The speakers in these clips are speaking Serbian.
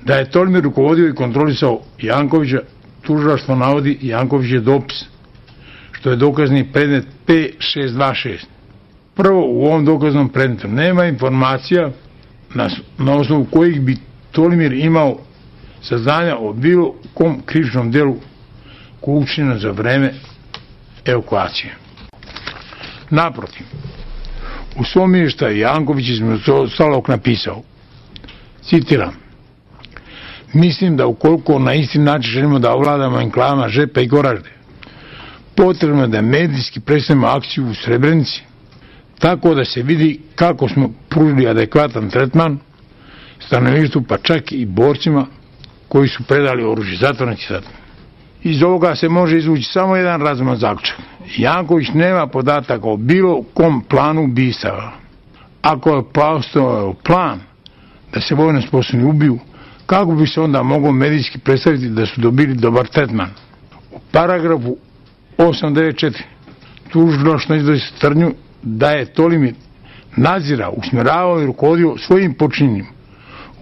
Da je Tolimir rukovodio i kontrolisao Jankovića, tužilaštvo navodi Jankovićev dopis, što je dokazni predmet P626. Prvo, u ovom dokaznom predmetu nema informacija na osnovu kojih bi Tolimir imao saznanja o bilo kom krivičnom delu koje je učinjeno za vreme evakuacije. Naprotiv, u svom izveštaju Janković između ostalog napisao, citiram: mislim da ukoliko na isti način želimo da ovladamo enklavama Žepa i Goražde, potrebno je da medijski predstavimo akciju u Srebrenici, tako da se vidi kako smo pružili adekvatan tretman stanovništvu, pa čak i borcima koji su predali oružje. Zatvornici sad. Iz ovoga se može izvući samo jedan razuman zaključak. Janković nema podataka o bilo kom planu ubistava. Ako je postojao plan da se vojno sposobni ubiju, kako bi se onda moglo medijski predstaviti da su dobili dobar tretman? U paragrafu 894 tužilaštvo iznosi tvrdnju da je Tolimir nadzirao, usmjeravao i rukovodio svojim počinjenjem,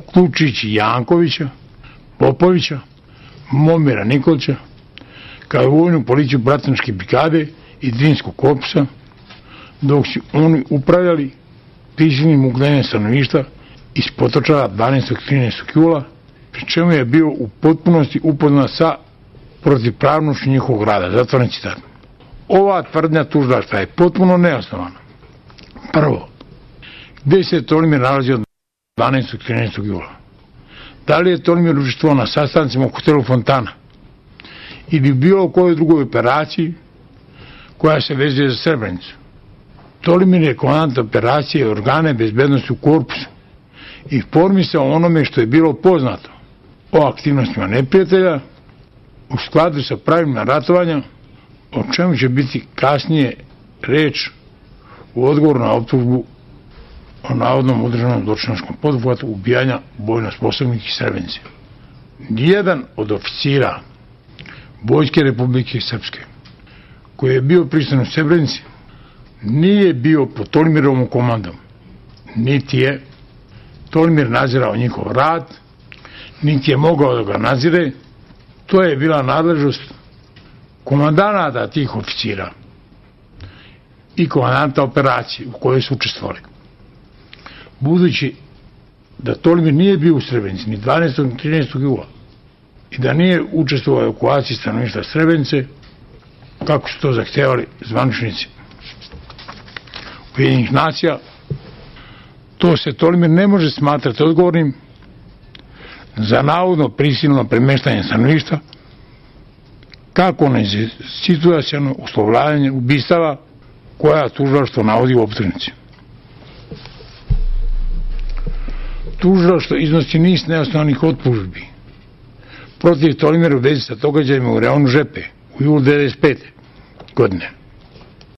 uključujući Jankovića, Popovića, Momira Nikolića, kao i vojnu policiju Bratunačke brigade i Drinskog korpusa, dok su oni upravljali prisilnim ugnjenjem stanovništva iz Potočara 12. i 13. jula, pri čemu je bio u potpunosti upoznat sa protivpravnošću njihovog rada. Zatvoren citat. Ova tvrdnja tužilaštva je potpuno neosnovana. Prvo, gde se Tolimir nalazio 12. i 13. jula? Da li je Tolimir učestvovao na sastancima u hotelu Fontana ili bilo u kojoj drugoj operaciji koja se vezuje za Srebrenicu? Tolimir je komandant operacije i organe bezbednosti u korpusu i informisao o onome što je bilo poznato o aktivnostima neprijatelja u skladu sa pravilima ratovanja, o čemu će biti kasnije reč u odgovoru na optužbu o navodnom udruženom zločinačkom poduhvatu ubijanja vojno sposobnih iz Srebrenice. Nijedan od oficira Vojske Republike Srpske koji je bio prisutan u Srebrenici nije bio pod Tolimirovom komandom, niti je Tolimir nadzirao njihov rad, niti je mogao da ga nadzire. To je bila nadležnost komandanata tih oficira i komandanta operacije u kojoj su učestvovali. Budući da Tolimir nije bio u Srebrenici ni 12. ni 13. jula i da nije učestvovao u evakuaciji stanovništva Srebrenice, kako su to zahtevali zvaničnici Ujedinjenih nacija, to se Tolimir ne može smatrati odgovornim za navodno prisilno premeštanje stanovništva, kako na situacijano uslovljavanje ubistava koja tužilaštvo navodi u optužnici. Tužilaštvo iznosi niz neosnovanih optužbi protiv Tolimira u vezi sa događajima u reonu Žepe u julu 1995. godine.